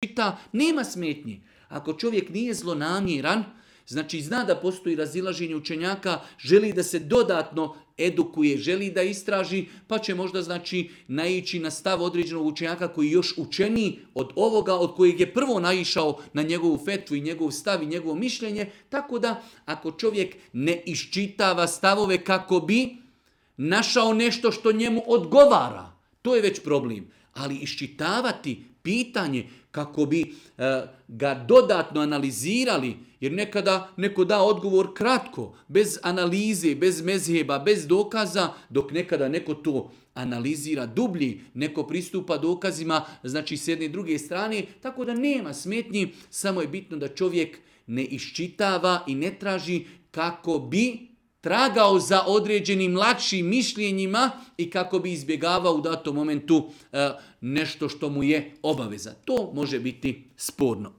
čita, nema smetnji. Ako čovjek nije zlonamjeran, znači zna da postoji razilaženje učenjaka, želi da se dodatno edukuje, želi da istraži, pa će možda znači naići na stav određenog učenjaka koji je još učeniji od ovoga, od kojeg je prvo naišao na njegovu fetvu i njegov stav i njegovo mišljenje. Tako da ako čovjek ne iščitava stavove kako bi našao nešto što njemu odgovara, to je već problem. Ali iščitavati pitanje kako bi ga dodatno analizirali, jer nekada neko da odgovor kratko, bez analize, bez mezheba, bez dokaza, dok nekada neko to analizira dublji, neko pristupa dokazima, znači s jedne i druge strane, tako da nema smetnji, samo je bitno da čovjek ne iščitava i ne traži kako bi tragao za određenim lakšim mišljenjima i kako bi izbjegavao u datom momentu nešto što mu je obaveza. To može biti sporno.